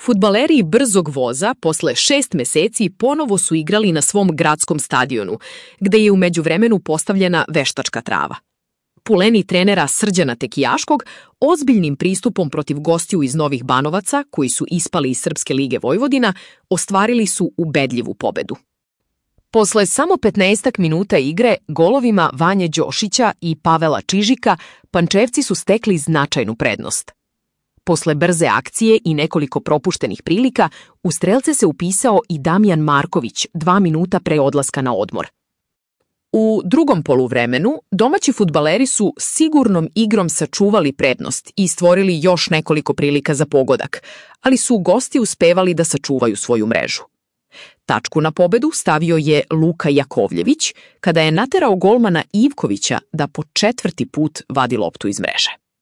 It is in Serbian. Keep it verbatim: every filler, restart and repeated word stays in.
Fudbaleri Brzog voza posle šest meseci ponovo su igrali na svom gradskom stadionu, gde je u međuvremenu postavljena veštačka trava. Puleni trenera Srđana Tekijaškog ozbiljnim pristupom protiv gostiju iz Novih Banovaca, koji su ispali iz Srpske lige Vojvodina, ostvarili su ubedljivu pobedu. Posle samo petnaestak minuta igre, golovima Vanje Đošića i Pavela Čižika, Pančevci su stekli značajnu prednost. Posle brze akcije i nekoliko propuštenih prilika, u strelce se upisao i Damjan Marković dva minuta pre odlaska na odmor. U drugom poluvremenu, domaći fudbaleri su sigurnom igrom sačuvali prednost i stvorili još nekoliko prilika za pogodak, ali su gosti uspevali da sačuvaju svoju mrežu. Tačku na pobedu stavio je Luka Jakovljević, kada je naterao golmana Ivkovića da po četvrti put vadi loptu iz mreže.